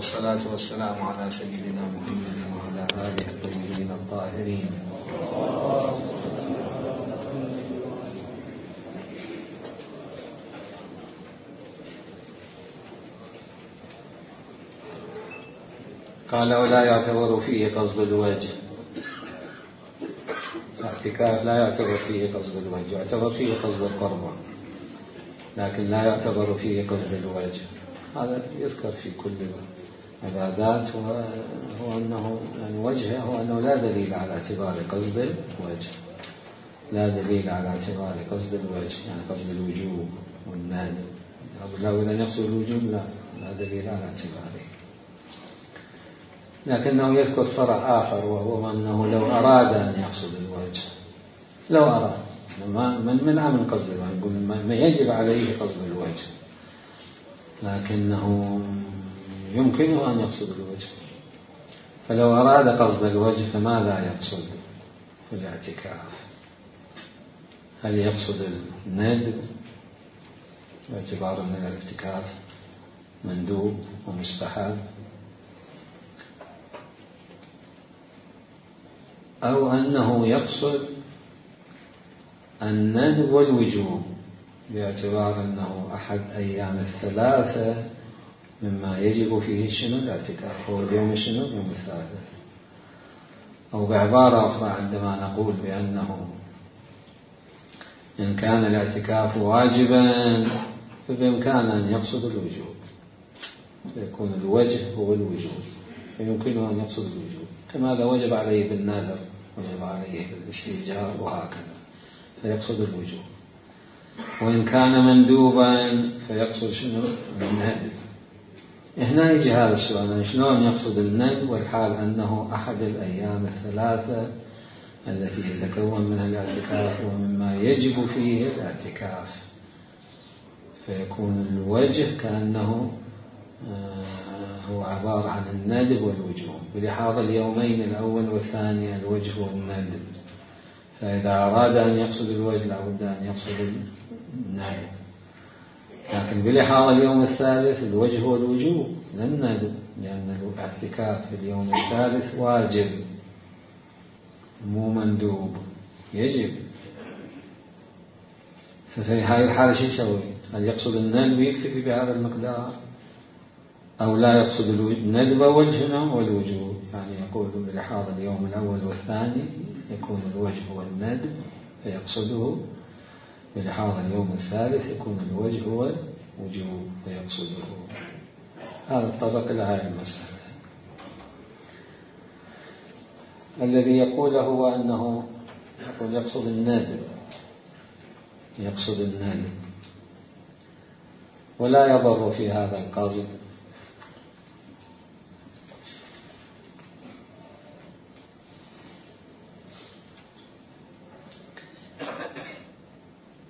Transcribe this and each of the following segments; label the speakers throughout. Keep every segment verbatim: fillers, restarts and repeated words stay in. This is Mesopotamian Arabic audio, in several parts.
Speaker 1: والصلاة والسلام على سيدنا محمد وعلى آله الطيبين الطاهرين. قال ولا يعتبر فيه قصد الوجه. الاعتكاف لا يعتبر فيه قصد الوجه، يعتبر فيه قصد القربة، لكن لا يعتبر فيه قصد الوجه. هذا يذكر في كل العبادات، هو أنه يعني وجهه هو أنه لا دليل على اعتبار قصد الوجه، لا دليل على اعتبار قصد الوجه، يعني قصد الوجوب والندب. لو إذا يقصد الوجوب لا لا دليل على اعتباره. لكنه يذكر فرع آخر، وهو أنه لو أراد أن يقصد الوجه، لو أراد من منع من قصد الوجه، يقول ما يجب عليه قصد الوجه، لكنه يمكنه أن يقصد الوجه. فلو أراد قصد الوجه فماذا يقصد في الاعتكاف؟ هل يقصد الندب باعتبار أن الاعتكاف مندوب ومستحب، أو أنه يقصد الندب والوجوب باعتبار أنه أحد أيام الثلاثة مما يجب فيه شنو الاعتكاف، هو اليوم شنو اليوم الثالث. أو بعبارة أخرى عندما نقول بأنه إن كان الاعتكاف واجبا فبإمكان أن يقصد الوجوب، يكون الوجه هو الوجوب، فيمكنه أن يقصد الوجوب، كما إذا وجب عليه بالنذر وجب عليه بالاستئجار وهكذا فيقصد الوجوب. وإن كان مندوبا فيقصد شنو الندب. هنا يجي هذا السؤال، شلون يقصد الندب والحال أنه أحد الأيام الثلاثة التي يتكون منها الاعتكاف ومما يجب فيه الاعتكاف، فيكون الوجه كأنه هو عبارة عن الندب والوجوب بلحاظ اليومين الأول والثاني الوجه والندب. فإذا أراد أن يقصد الوجه لابد أن يقصد الندب، لكن بلحاظ اليوم الثالث الوجه والوجوب لا الندب، لأن الاعتكاف في اليوم الثالث واجب مو مندوب، يجب. ففي هذه الحالة شو يسوي؟ هل يقصد الندب ويكتفي بهذا المقدار، أو لا يقصد الندب وجهنا والوجوب؟ يعني يقول بلحاظ اليوم الأول والثاني يكون الوجه هو الندب فيقصده، بلحاظ اليوم الثالث يكون الوجه هو الوجوب فيقصده. هذا الطرق إلى هذه المسألة. الذي يقوله هو أنه يقول يقصد الندب، يقصد الندب ولا يضر في هذا القصد.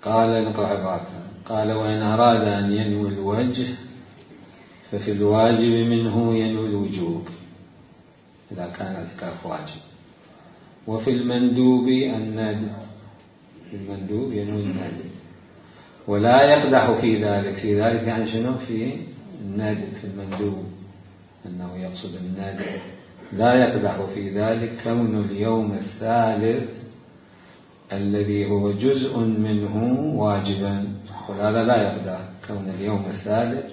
Speaker 1: قال نقرأ عبارته، قال وإن أراد أن ينوي الوجه ففي الواجب منه ينوي الوجوب إذا كان اعتكاف واجب، وفي المندوب الندب، في المندوب ينوي الندب ولا يقدح في ذلك. في ذلك يعني شنو؟ في الندب، في المندوب أنه يقصد الندب. لا يقدح في ذلك كون اليوم الثالث الذي هو جزء منه واجبا، وهذا لا يقدح كون اليوم الثالث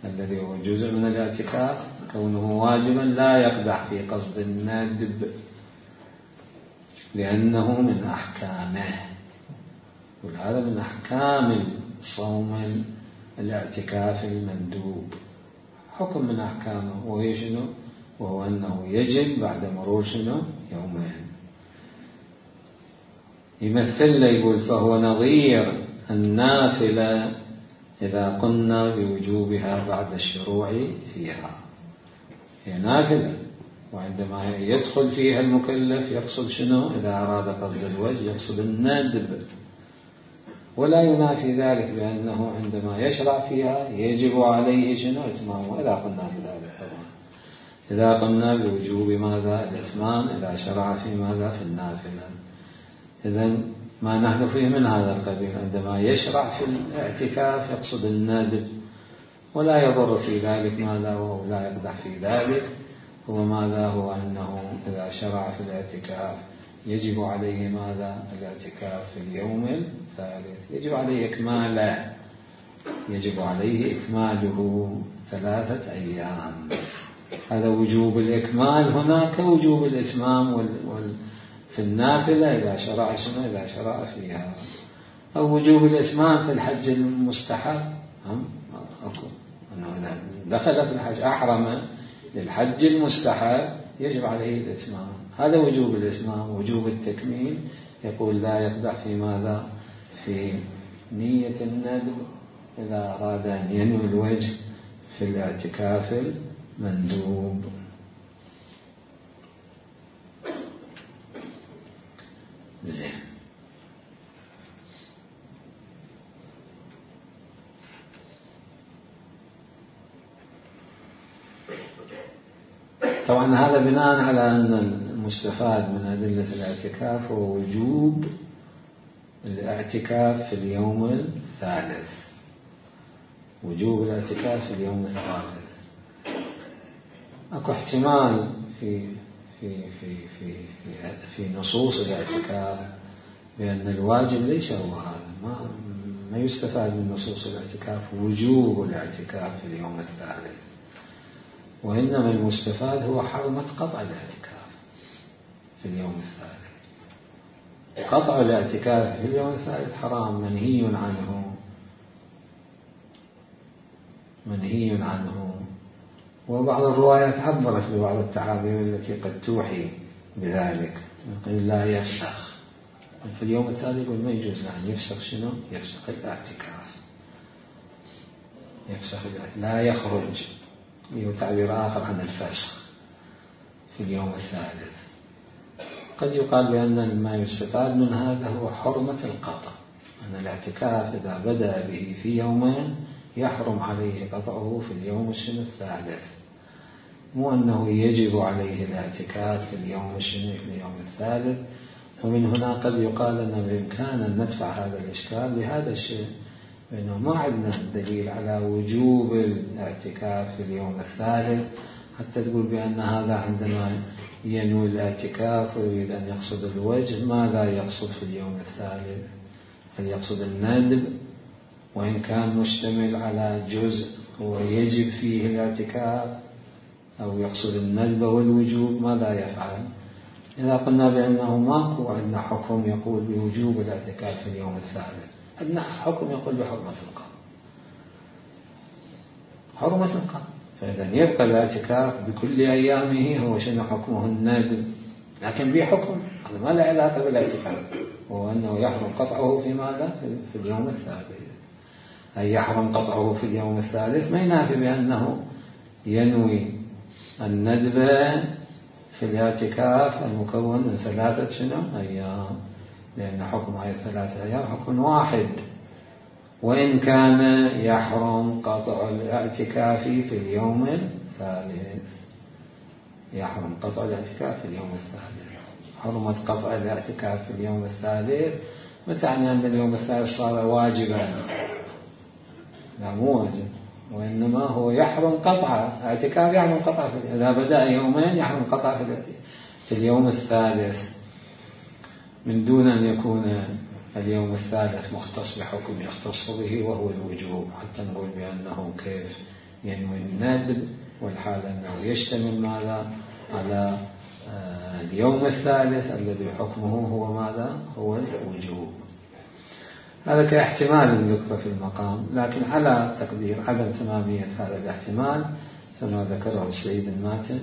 Speaker 1: الذي هو جزء من الاعتكاف كونه واجبا، لا يقدح في قصد الندب لأنه من أحكامه، وهذا من أحكام صوم الاعتكاف المندوب، حكم من أحكامه، وهي شنو؟ وهو أنه يجب بعد مرور شنو يومين. يمثل يقول فهو نظير النافلة إذا قلنا بوجوبها بعد الشروع فيها. هي نافلة، وعندما يدخل فيها المكلف يقصد شنو؟ إذا أراد قصد الوجه يقصد الندب، ولا ينافي ذلك بأنه عندما يشرع فيها يجب عليه شنو؟ إتمامه، إذا قلنا بذلك طبعا، إذا قلنا بوجوب ماذا؟ الإتمام إذا شرع في ماذا؟ في النافلة. إذن ما نحن فيه من هذا القبيل، عندما يشرع في الاعتكاف يقصد الندب، ولا يضر في ذلك ماذا، وهو لا يقدح في ذلك هو ماذا، هو أنه إذا شرع في الاعتكاف يجب عليه ماذا، الاعتكاف في اليوم الثالث، يجب عليه إكماله، يجب عليه إكماله ثلاثة أيام. هذا وجوب الإكمال هنا كوجوب الإتمام وال... وال... في النافلة إذا شرع شنو، إذا شرع فيها، أو وجوب الإتمام في الحج المستحب، هم أكو أنه إذا دخل في الحج أحرم للحج المستحب يجب عليه الإتمام، هذا وجوب الإتمام. وجوب التكميل يقول لا يقدح في ماذا، في نية الندب إذا أراد أن ينوي الوجه في الاعتكاف المندوب. زين. طبعا هذا بناء على أن المستفاد من أدلة الاعتكاف هو وجوب الاعتكاف في اليوم الثالث، وجوب الاعتكاف في اليوم الثالث. أكو احتمال في في في في في, في نصوص الاعتكاف بأن الواجب ليس هو هذا، ما ما يستفاد من نصوص الاعتكاف وجوب الاعتكاف في اليوم الثالث، وإنما المستفاد هو حرمة قطع الاعتكاف في اليوم الثالث. قطع الاعتكاف في اليوم الثالث حرام، منهي عنه، منهي عنه. وبعض الروايات عبرت ببعض التعابير التي قد توحي بذلك، يقول لا يفسخ في اليوم الثالث، يقول ما يجوز أن يفسخ شنو، يفسخ الاعتكاف، يفسخ الاعتكاف. لا يخرج، له تعبير آخر عن الفسخ في اليوم الثالث. قد يقال بأن ما يستفاد من هذا هو حرمة القطع، أن الاعتكاف إذا بدأ به في يومين يحرم عليه قطعه في اليوم الثالث، مو أنه يجب عليه الاعتكاف في اليوم الشنو، في اليوم الثالث. ومن هنا قد يقال أن بإمكان أن ندفع هذا الإشكال بهذا الشيء، لأنه ما عندنا دليل على وجوب الاعتكاف في اليوم الثالث حتى تقول بأن هذا عندما ينوي الاعتكاف ويريد أن يقصد الوجه ماذا يقصد في اليوم الثالث، هل يقصد الندب، وإن كان مشتمل على جزء هو يجب فيه الاعتكاف، أو يقصد الندب والوجوب، ماذا يفعل؟ إذا قلنا بأنه ماكو عندنا حكم يقول بوجوب الاعتكاف في اليوم الثالث، عندنا حكم يقول بحرمة القطع، حرمة القطع. فإذا يبقى الاعتكاف بكل أيامه هو شنو حكمه، الندب، لكن بحكم هذا ما له علاقة بالاعتكاف، هو أنه يحرم قطعه في ماذا، في اليوم الثالث. أي يحرم قطعه في اليوم الثالث ما ينافي بأنه ينوي الندب في الاعتكاف المكون من ثلاثة شنو أيام، لأن حكم هذه الثلاثة أيام حكم واحد، وإن كان يحرم قطع الاعتكاف في اليوم الثالث، يحرم قطع الاعتكاف في اليوم الثالث. حرمة قطع الاعتكاف في اليوم الثالث ما تعني أن اليوم الثالث صار واجبا، لا مو واجب، وإنما هو يحرم قطعه، اعتكاف يحرم قطعه، إذا بدأ يومين يحرم قطعه في اليوم الثالث، من دون أن يكون اليوم الثالث مختص بحكم يختص به وهو الوجوب، حتى نقول بأنه كيف ينوي الندب والحال أنه يشتمل ماذا على اليوم الثالث الذي حكمه هو ماذا، هو الوجوب. هذا كاحتمال الذكر في المقام، لكن على تقدير عدم تمامية هذا الاحتمال فما ذكره السيد الماتن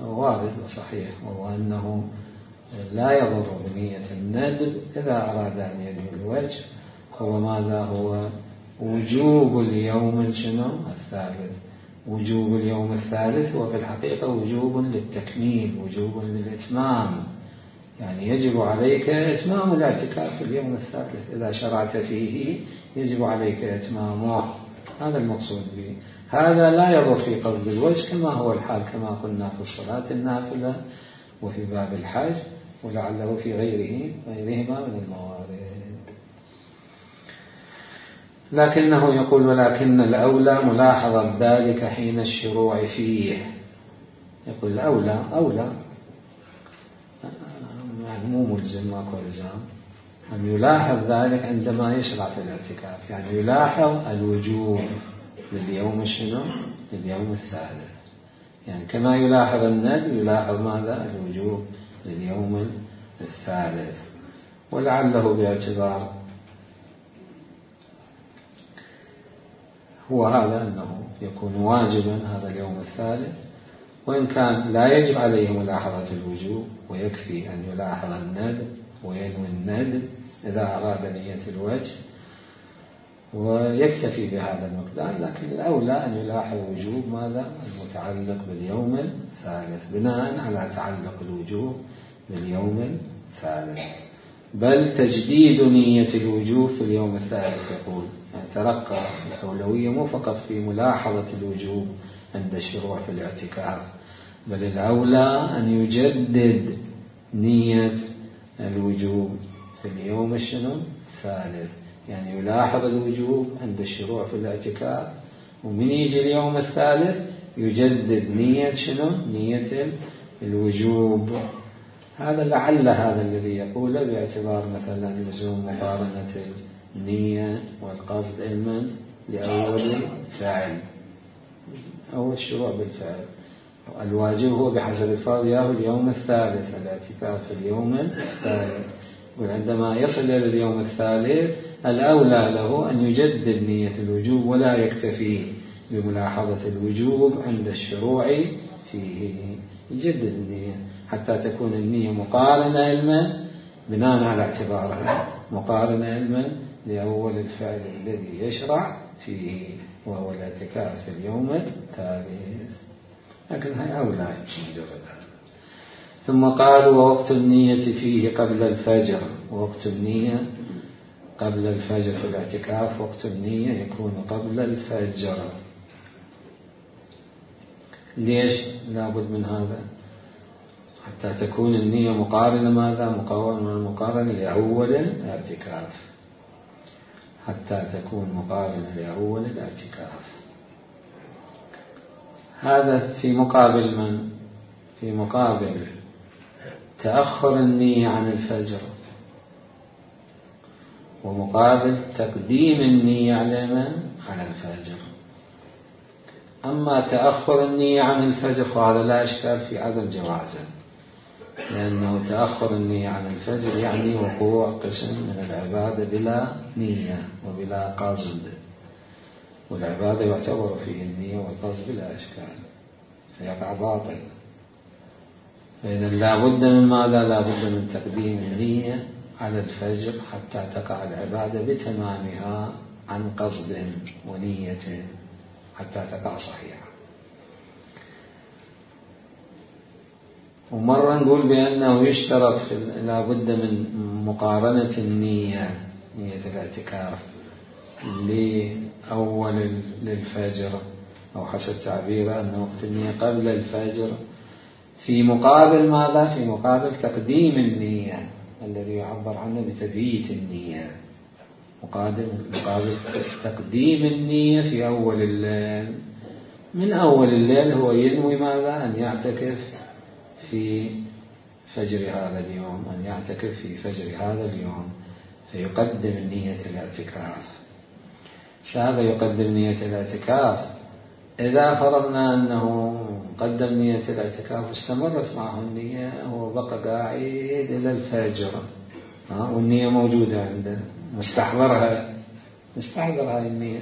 Speaker 1: وارد وصحيح، وهو أنه لا يضر بنية الندب إذا أراد أن ينوي الوجه، هو ماذا، هو وجوب اليوم شنو الثالث. وجوب اليوم الثالث هو في الحقيقة وجوب للتكميل، وجوب للإتمام، يعني يجب عليك إتمام الاعتكاف في اليوم الثالث، إذا شرعت فيه يجب عليك إتمامه، هذا المقصود به. هذا لا يضر في قصد الوجه كما هو الحال كما قلنا في الصلاة النافلة وفي باب الحج، ولعله في غيره غيرهما من الموارد. لكنه يقول ولكن الأولى ملاحظة ذلك حين الشروع فيه. يقول الأولى أولى يعني مو ملزم، ماكو إلزام أن يلاحظ ذلك عندما يشرع في الاعتكاف، يعني يلاحظ الوجوب لليوم شنو؟ لليوم الثالث، يعني كما يلاحظ الندب يلاحظ ماذا؟ الوجوب لليوم الثالث. ولعله باعتبار هو هذا أنه يكون واجبا هذا اليوم الثالث، وإن كان لا يجب عليه ملاحظة الوجوب ويكفي أن يلاحظ الندب وينوي الندب إذا أراد نية الوجه ويكتفي بهذا المقدار، لكن الأولى أن يلاحظ وجوب ماذا؟ المتعلق باليوم الثالث بناء على تعلق الوجوب باليوم الثالث. بل تجديد نية الوجوب في اليوم الثالث يقول، يعني ترقى الأولوية مو فقط في ملاحظة الوجوب عند الشروع في الاعتكاف، بل الأولى أن يجدد نية الوجوب في اليوم الشنو؟ الثالث، يعني يلاحظ الوجوب عند الشروع في الاعتكاف، ومن يجي اليوم الثالث يجدد نية شنو؟ نية الوجوب. هذا لعل هذا الذي يقوله باعتبار مثلا لزوم مقارنة النية والقصد علما لأول فعل أو الشروع بالفعل. الواجب هو بحسب الفرض ياهو اليوم الثالث، الاعتكاف في اليوم الثالث، وعندما يصل إلى اليوم الثالث الأولى له أن يجدد نية الوجوب ولا يكتفي بملاحظة الوجوب عند الشروع فيه، يجدد النية حتى تكون النية مقارنة علما بناء على اعتبارها مقارنة علما لأول الفعل الذي يشرع فيه وهو الاعتكاف في اليوم الثالث. لكن هي أولى مجرد هذا. ثم قالوا ووقت النية فيه قبل الفجر. ووقت النية قبل الفجر في الاعتكاف، وقت النية يكون قبل الفجر. ليش لابد من هذا؟ حتى تكون النية مقارنة ماذا؟ مقارنة مقارنة لأول الاعتكاف، حتى تكون مقارنة لأول الاعتكاف. هذا في مقابل من؟ في مقابل تأخر النية عن الفجر، ومقابل تقديم النية على من؟ على الفجر. أما تأخر النية عن الفجر فهذا لا إشكال في عدم جوازه، لأنه تأخر النية عن الفجر يعني وقوع قسم من العبادة بلا نية وبلا قصد، والعبادة يعتبر فيه النية والقصد بلا إشكال فيقع باطل. فإذا لا بد من ماذا؟ لا بد من تقديم النية على الفجر حتى تقع العبادة بتمامها عن قصد ونية حتى تقع صحيحة. ومرة نقول بأنه يشترط في لا بد من مقارنة النية، نية الاعتكاف لأول للفجر أو حسب تعبيره أن وقت النية قبل الفجر، في مقابل ماذا؟ في مقابل تقديم النية الذي يعبر عنه بتبييت النية، مقابل مقابل تقديم النية في أول الليل. من أول الليل هو ينوي ماذا؟ أن يعتكف في فجر هذا اليوم، أن يعتكف في فجر هذا اليوم، فيقدم نية الاعتكاف. هذا يقدم نية الاعتكاف. إذا فرضنا أنه قدم نية الاعتكاف واستمرت معه النية وبقى قاعد إلى الفجر والنية موجودة عنده مستحضرها مستحضر هاي النية،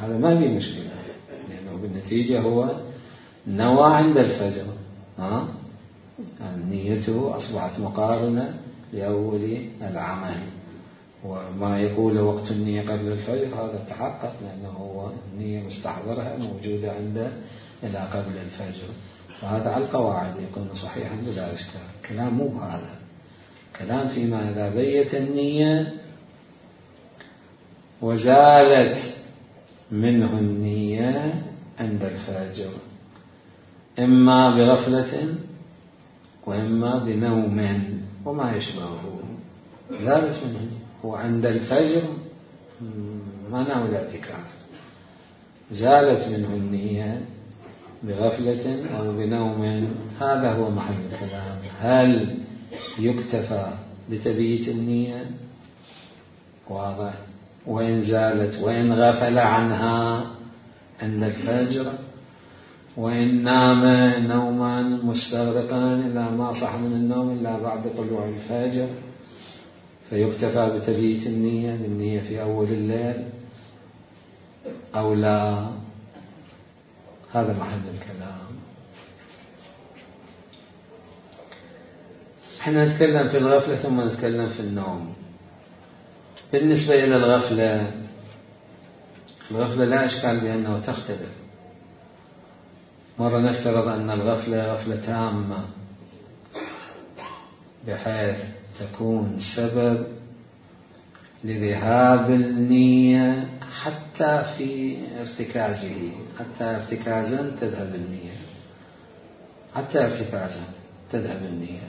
Speaker 1: هذا ما في مشكلة، لأنه بالنتيجة هو نوى عند الفجر، ها يعني نيته أصبحت مقارنة لأول العمل. وما يقول وقت النية قبل الفجر هذا تحقق، لأنه هو النية مستحضرها موجودة عنده إلى قبل الفجر، فهذا على القواعد يكون صحيحا بلا إشكال. كلام مو هذا، كلام فيما إذا بيت النية وزالت منه النية عند الفجر، إما بغفلة وإما بنوم وما يشبهه، زالت منه هو عند الفجر ما نام الاعتكاف، زالت منه النية بغفلة أو بنوم، هذا هو محل الكلام. هل يكتفى بتبييت النية؟ واضح. وإن زالت وإن غفل عنها عند الفجر، وإن نام نوما مستغرقا إلا ما صح من النوم إلا بعد طلوع الفجر، فيكتفى بتبييت النية بالنية في أول الليل أو لا؟ هذا محل الكلام. احنا نتكلم في الغفلة ثم نتكلم في النوم. بالنسبة إلى الغفلة، الغفلة لا إشكال بأنه تختلف. مرة نفترض أن الغفلة غفلة تامة بحيث تكون سبب لذهاب النية حتى في ارتكازه، حتى ارتكازا تذهب النية، حتى ارتكازا تذهب النية.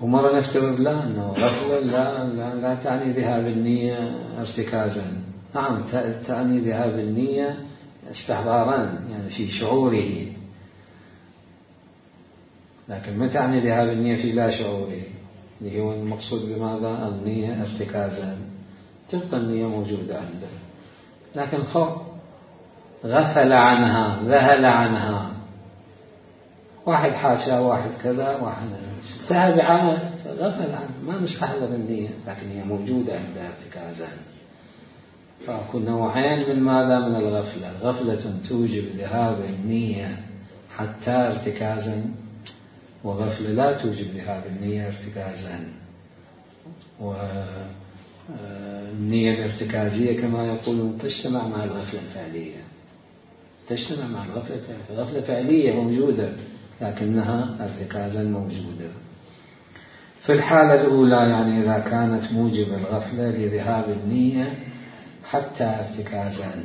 Speaker 1: ومرة نفترض لا، أنه غفلة لا, لا, لا تعني ذهاب النية ارتكازا، نعم تعني ذهاب النية استحضارا يعني في شعوره، لكن ما تعني ذهاب النية في لا شعوره، اللي هو المقصود بماذا؟ النية ارتكازا، تبقى النية موجودة عنده، لكن خب غفل عنها، ذهل عنها، واحد حاشا واحد كذا واحد انتهى بعمل فغفل عنه، ما مستحضر النية، لكن هي موجودة عنده ارتكازا. فأكون نوعين من ماذا؟ من الغفلة. غفلة توجب ذهاب النية حتى ارتكازا، وغفلة لا توجب ذهاب النية ارتكازا. والنية الارتكازية كما يقولون تجتمع مع الغفلة الفعلية، تجتمع مع الغفلة الفعلية، غفلة فعلية موجودة لكنها ارتكازا موجودة. في الحالة الأولى يعني إذا كانت موجب الغفلة لذهاب النية حتى ارتكازا،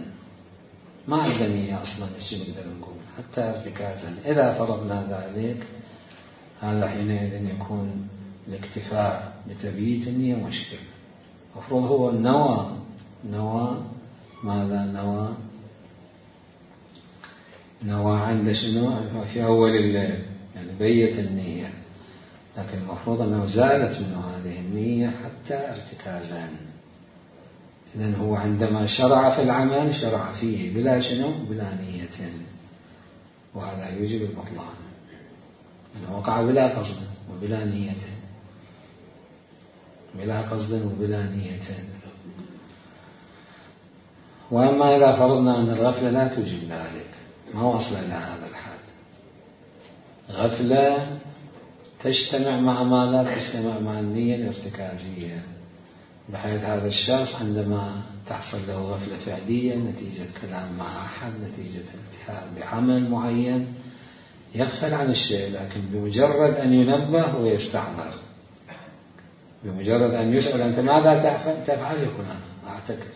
Speaker 1: ما عندنا نية أصلا، إيش نقدر نقول؟ حتى ارتكازا. إذا فرضنا ذلك هذا حينئذ يكون الاكتفاء بتبييت النية مشكل. المفروض هو النوى، نوى ماذا؟ نوى نوى عند شنو؟ في أول الليل، يعني بيت النية، لكن المفروض أنه زالت منه هذه النية حتى ارتكازا. إذن هو عندما شرع في العمل شرع فيه بلا شنو؟ بلا نية، وهذا يوجب البطلان، أنه وقع بلا قصد وبلا نية، بلا قصد وبلا نية. وأما إذا فرضنا أن الغفلة لا توجب ذلك، ما وصل إلى هذا الحد، غفلة تجتمع مع ماذا؟ تجتمع مع النية الارتكازية، بحيث هذا الشخص عندما تحصل له غفلة فعلية نتيجة كلام مع أحد، نتيجة التهاب بعمل معين، يغفل عن الشيء، لكن بمجرد أن ينبه ويستحضر، بمجرد أن يسأل أنت ماذا تفعل يقول أنا أعتكف.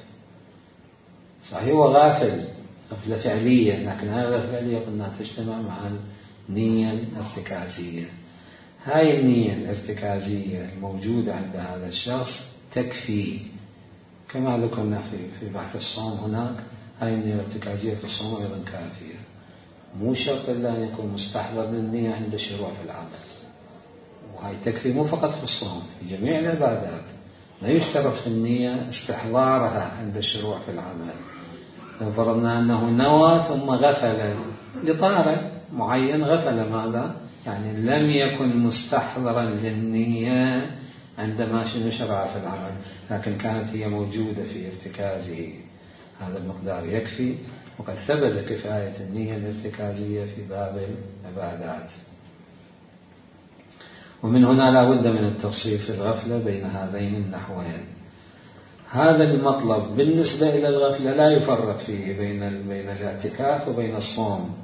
Speaker 1: صحيح هو غافل غفلة فعلية، لكن هذه الغفلة الفعلية قلنا تجتمع مع النية الارتكازية. هاي النية الارتكازية الموجودة عند هذا الشخص تكفي، كما ذكرنا في في بحث الصوم هناك، هاي النية الارتكازية في الصوم أيضا كافية، مو شرط إلا أن يكون مستحضر للنية عند الشروع في العمل، وهي تكفي مو فقط في الصوم، في جميع العبادات لا يشترط في النية استحضارها عند الشروع في العمل. لو فرضنا أنه نوى ثم غفل لطارئ معين، غفل ماذا؟ يعني لم يكن مستحضرا للنية عندما شرع في العمل، لكن كانت هي موجودة في ارتكازه، هذا المقدار يكفي، وقد ثبت كفاية النية الارتكازية في باب العبادات. ومن هنا لا بد من التفصيل في الغفلة بين هذين النحوين. هذا المطلب بالنسبة إلى الغفلة لا يفرق فيه بين بين الاعتكاف وبين الصوم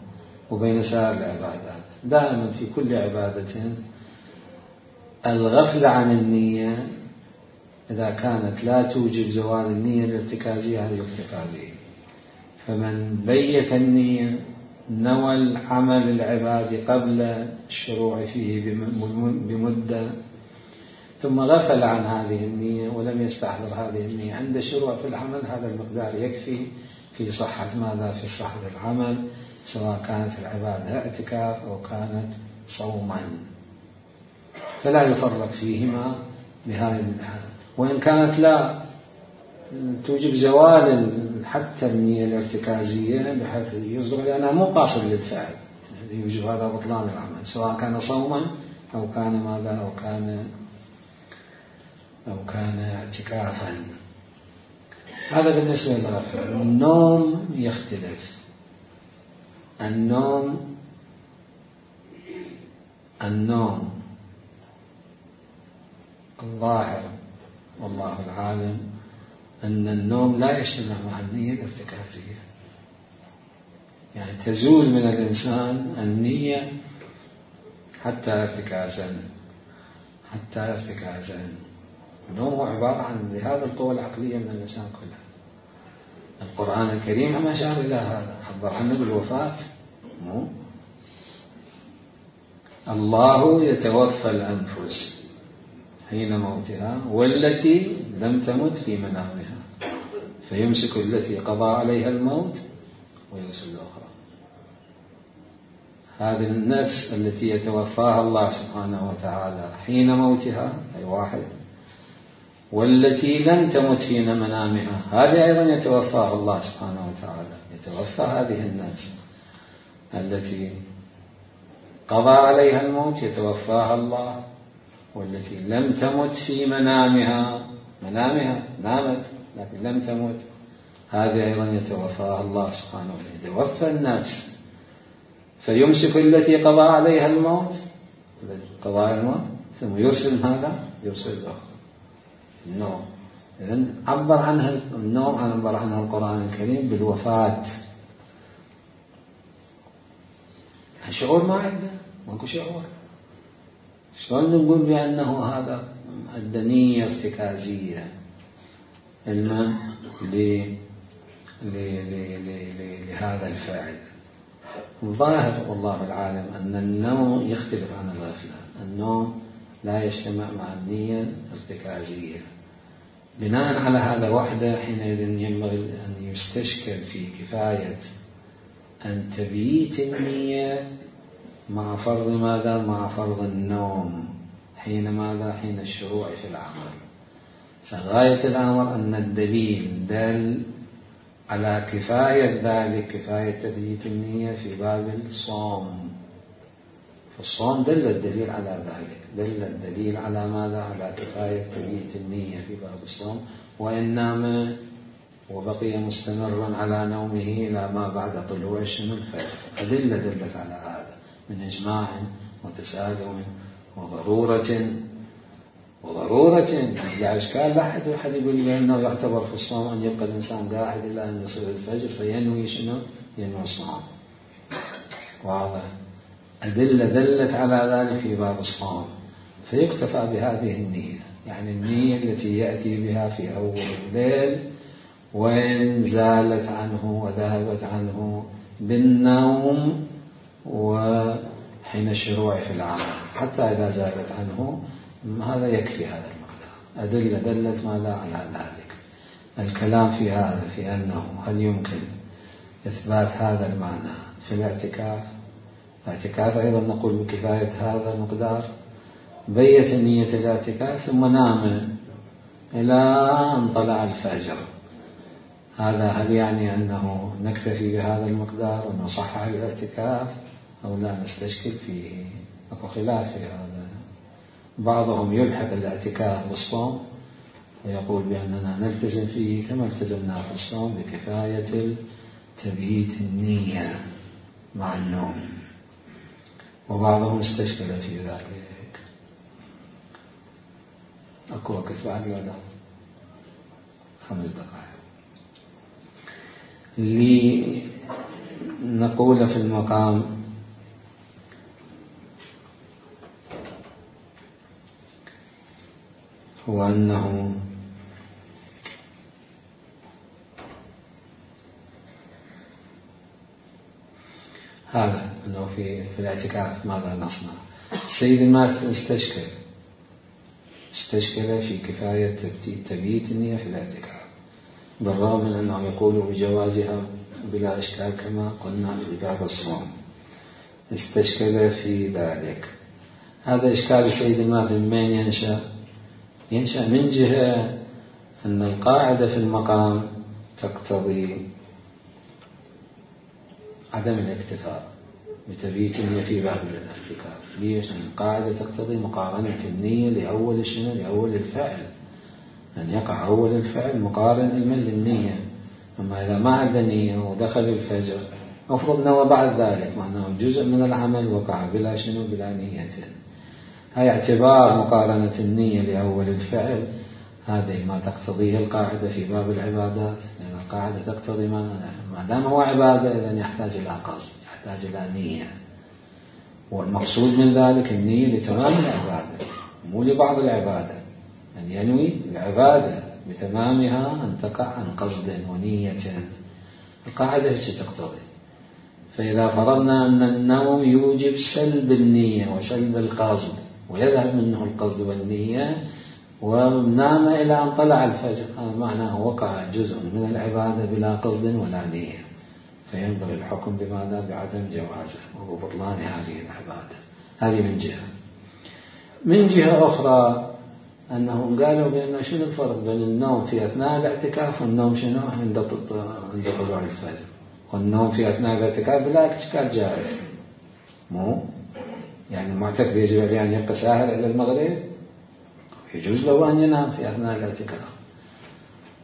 Speaker 1: وبين سائر العبادات. دائما في كل عبادة الغفلة عن النية إذا كانت لا توجب زوال النية الارتكازية هذا يكتفى به. فمن بيت النية نوى العمل العبادي قبل الشروع فيه بمدة، ثم غفل عن هذه النية ولم يستحضر هذه النية عند الشروع في العمل، هذا المقدار يكفي في صحة ماذا؟ في صحة العمل، سواء كانت العبادة اعتكاف أو كانت صوما، فلا يفرق فيهما بهذه الحال. وإن كانت لا توجب زوال حتى النية الارتكازية بحيث يصدق لأنها مو قاصد للفعل، يوجب هذا بطلان العمل سواء كان صوما أو كان ماذا أو كان أو كان اعتكافا. هذا بالنسبة للغفلة. النوم يختلف. النوم النوم الظاهر والله العالم أن النوم لا يجتمع مع النية الارتكازية، يعني تزول من الإنسان النية حتى ارتكازا حتى ارتكازا. النوم هو عبارة عن ذهاب القوى العقلية من الإنسان كلها. القرآن الكريم هم أشار إلى هذا، حذر عنه بالوفاة. مو الله يتوفى الأنفس حين موتها والتي لم تمت في منامها فيمسك التي قضى عليها الموت ويرسل الأخرى. هذه النفس التي يتوفاها الله سبحانه وتعالى حين موتها أي واحد، والتي لم تمت في منامها هذه أيضا يتوفاها الله سبحانه وتعالى. يتوفى هذه النفس التي قضى عليها الموت يتوفاها الله، والتي لم تمت في منامها منامها نامت لكن لم تمت هذه أيضا يتوفاها الله سبحانه وتعالى. يتوفى النفس فيمسك التي قضى عليها الموت قضى عليها الموت ثم يرسل هذا يرسل الأخرى. النوم إذن عبر عنها النوم عبر عنها القرآن الكريم بالوفاة. الشعور ما عنده ماكو شعور. شلون نقول بأنه هذا الدنية ارتكازية علما لهذا الفاعل؟ الظاهر والله العالم أن النوم يختلف عن الغفلة. النوم لا يجتمع مع النية الارتكازية. بناء على هذا وحده حينئذ ينبغي أن يستشكل في كفاية أن تبييت النية مع فرض ماذا؟ مع فرض النوم حين ماذا؟ حين الشروع في العمل. غاية الأمر أن الدليل دل على كفاية ذلك، كفاية تبييت النية في باب الصوم. في الصوم دل الدليل على ذلك، دل الدليل على ماذا؟ على كفاية تبييت النية في باب الصوم. وإن نام وبقي مستمرا على نومه إلى ما بعد طلوع شنو الفجر. أدلة دلت على هذا من إجماع وتسالم وضرورة وضرورة لا إشكال. لا أحد أحد يقول بأنه يعتبر في الصوم أن يبقى الإنسان قاعد إلى أن يصل الفجر فينوي شنو؟ ينوي الصوم. واضح. أدلة دلت على ذلك في باب الصوم، فيكتفى بهذه النية، يعني النية التي يأتي بها في أول الليل وإن زالت عنه وذهبت عنه بالنوم وحين الشروع في العمل، حتى إذا زالت عنه هذا يكفي هذا المقدار. أدلة دلت ماذا على ذلك. الكلام في هذا في أنه هل يمكن إثبات هذا المعنى في الاعتكاف. الاعتكاف أيضا نقول بكفاية هذا المقدار. بيت نية الاعتكاف ثم نام إلى أن طلع الفجر، هذا هل يعني أنه نكتفي بهذا المقدار ونصحح الاعتكاف أو لا نستشكل فيه؟ أكو خلاف في هذا. بعضهم يلحق الاعتكاف بالصوم ويقول بأننا نلتزم فيه كما التزمنا في الصوم بكفاية تبييت النية مع النوم، وبعضهم استشكل في ذلك. أكو وقت بعد ولا خمس دقائق لنقول في المقام هو أنه هذا أنه في في الاعتكاف ماذا نصنع. السيد ما استشكل استشكل في كفاية تبييت النية في الاعتكاف، بالرغم من أنه يقول بجوازها بلا إشكال كما قلنا في باب الصوم، استشكل في ذلك. هذا إشكال السيد الماتن من ينشأ؟ ينشأ من جهة أن القاعدة في المقام تقتضي عدم الاكتفاء بتبييت النية في باب الاعتكاف. ليش؟ أن القاعدة تقتضي مقارنة النية لأول شنو؟ لأول الفعل، أن يقع أول الفعل مقارن علما للنية. أما إذا ما عنده نية ودخل الفجر أفرض نوى بعد ذلك، معناه جزء من العمل وقع بلا شنو؟ بلا نية. هاي اعتبار مقارنة النية لأول الفعل، هذه ما تقتضيه القاعدة في باب العبادات، لأن القاعدة تقتضي ما دام هو عبادة إذن يحتاج إلى قصد، يحتاج إلى نية، والمقصود من ذلك النية لتمام العبادة مو لبعض العبادة، أن ينوي العبادة بتمامها أن تقع عن قصد ونية. القاعدة هي تقتضي. فإذا فرضنا أن النوم يوجب سلب النية وسلب القصد ويذهب منه القصد والنية ونام إلى أن طلع الفجر، هذا معناه وقع جزء من العبادة بلا قصد ولا نية، فينبغي الحكم بماذا؟ بعدم جوازه وبطلان هذه العبادة. هذه من جهة. من جهة أخرى أنهم قالوا بأن شنو الفرق بين النوم في أثناء الاعتكاف والنوم شنو عند عند طلوع الفجر؟ والنوم في أثناء الاعتكاف بلا إشكال جائز، مو يعني المعتكف يجب عليه أن يبقى ساهر إلى المغرب، يجوز له أن ينام في أثناء الاعتكاف.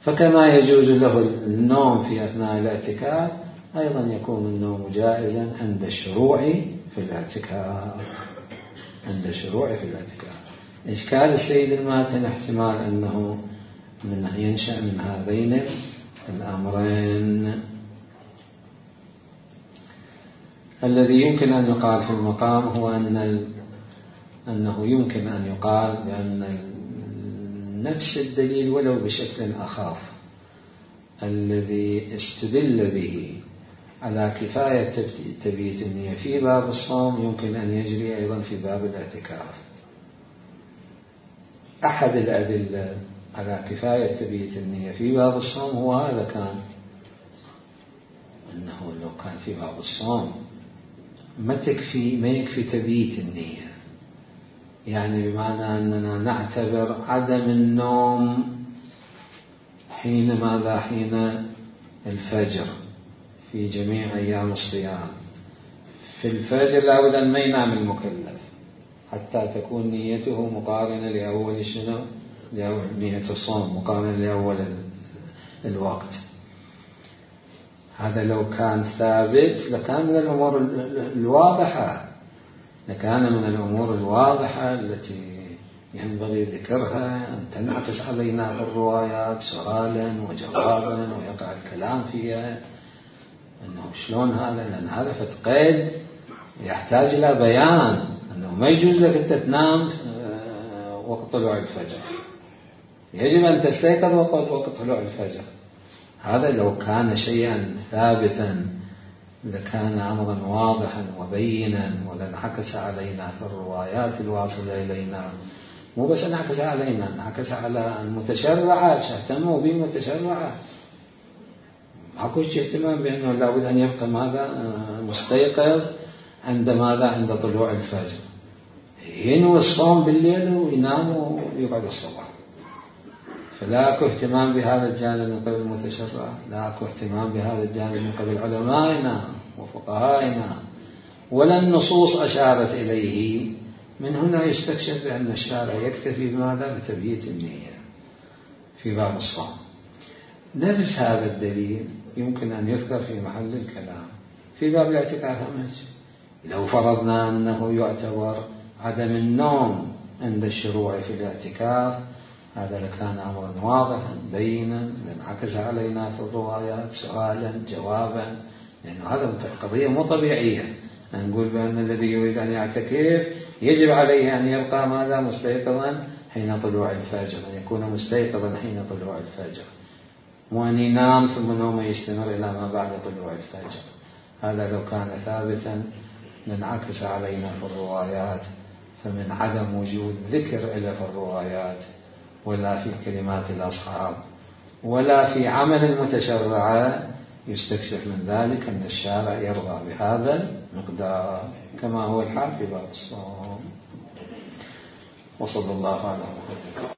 Speaker 1: فكما يجوز له النوم في أثناء الاعتكاف أيضا يكون النوم جائزا عند الشروع في الاعتكاف. عند الشروع في الاعتكاف. إشكال السيد الماتن احتمال أنه من ينشأ من هذين الأمرين. الذي يمكن أن يقال في المقام هو أن أنه يمكن أن يقال بأن نفس الدليل ولو بشكل أخف الذي استدل به على كفاية تبييت النية في باب الصوم يمكن أن يجري أيضا في باب الاعتكاف. أحد الأدلة على كفاية تبييت النية في باب الصوم هو هذا، كان أنه لو كان في باب الصوم ما تكفي ما يكفي تبييت النية، يعني بمعنى أننا نعتبر عدم النوم حين ماذا؟ حين الفجر في جميع أيام الصيام. في الفجر لابد أن ما ينام المكلف حتى تكون نيته مقارنة لأول شنو؟ لأول نية الصوم مقارنة لأول الوقت. هذا لو كان ثابت لكان من الأمور الواضحة، لكان من الأمور الواضحة التي ينبغي ذكرها أن تنعكس علينا في الروايات سؤالا وجوابا ويقع الكلام فيها، أنه شلون هذا؟ لأن هذا فتقيد يحتاج إلى بيان، أنه ما يجوز لك أنت تنام وقت طلوع الفجر، يجب أن تستيقظ وقت طلوع الفجر. هذا لو كان شيئا ثابتا لكان أمرا واضحا وبينا ولانعكس علينا في الروايات الواصلة إلينا، مو بس انعكس علينا، انعكس على المتشرعة، اهتموا به المتشرعة. ماكو اهتمام بأنه لابد أن يبقى ماذا؟ مستيقظ عند ماذا؟ عند طلوع الفجر، ينوي الصوم بالليل وينام ويقعد الصبح. فلا أكو اهتمام بهذا الجانب من قبل المتشرع، لا أكو اهتمام بهذا الجانب من قبل علمائنا وفقهائنا، ولا النصوص أشارت إليه. من هنا يستكشف بأن الشارع يكتفي بماذا؟ بتبييت النية في باب الصوم. نفس هذا الدليل يمكن أن يذكر في محل الكلام في باب الاعتكاف. لو فرضنا أنه يعتبر عدم النوم عند الشروع في الاعتكاف، هذا لكان أمرا واضحا بينا لانعكس علينا في الروايات سؤالا جوابا، لأنه هذا قضية مو طبيعية. نقول بأن الذي يريد أن يعتكف يجب عليه أن يبقى ماذا؟ مستيقظا حين طلوع الفجر، أن يكون مستيقظا حين طلوع الفجر، وأن ينام ثم نومه يستمر إلى ما بعد طلوع الفجر. هذا لو كان ثابتا لانعكس علينا في الروايات فمن عدم وجود ذكر إلى في الروايات ولا في كلمات الأصحاب ولا في عمل المتشرعة يستكشف من ذلك أن الشارع يرضى بهذا المقدار كما هو الحال في باب الصوم. وصلى الله على محمد.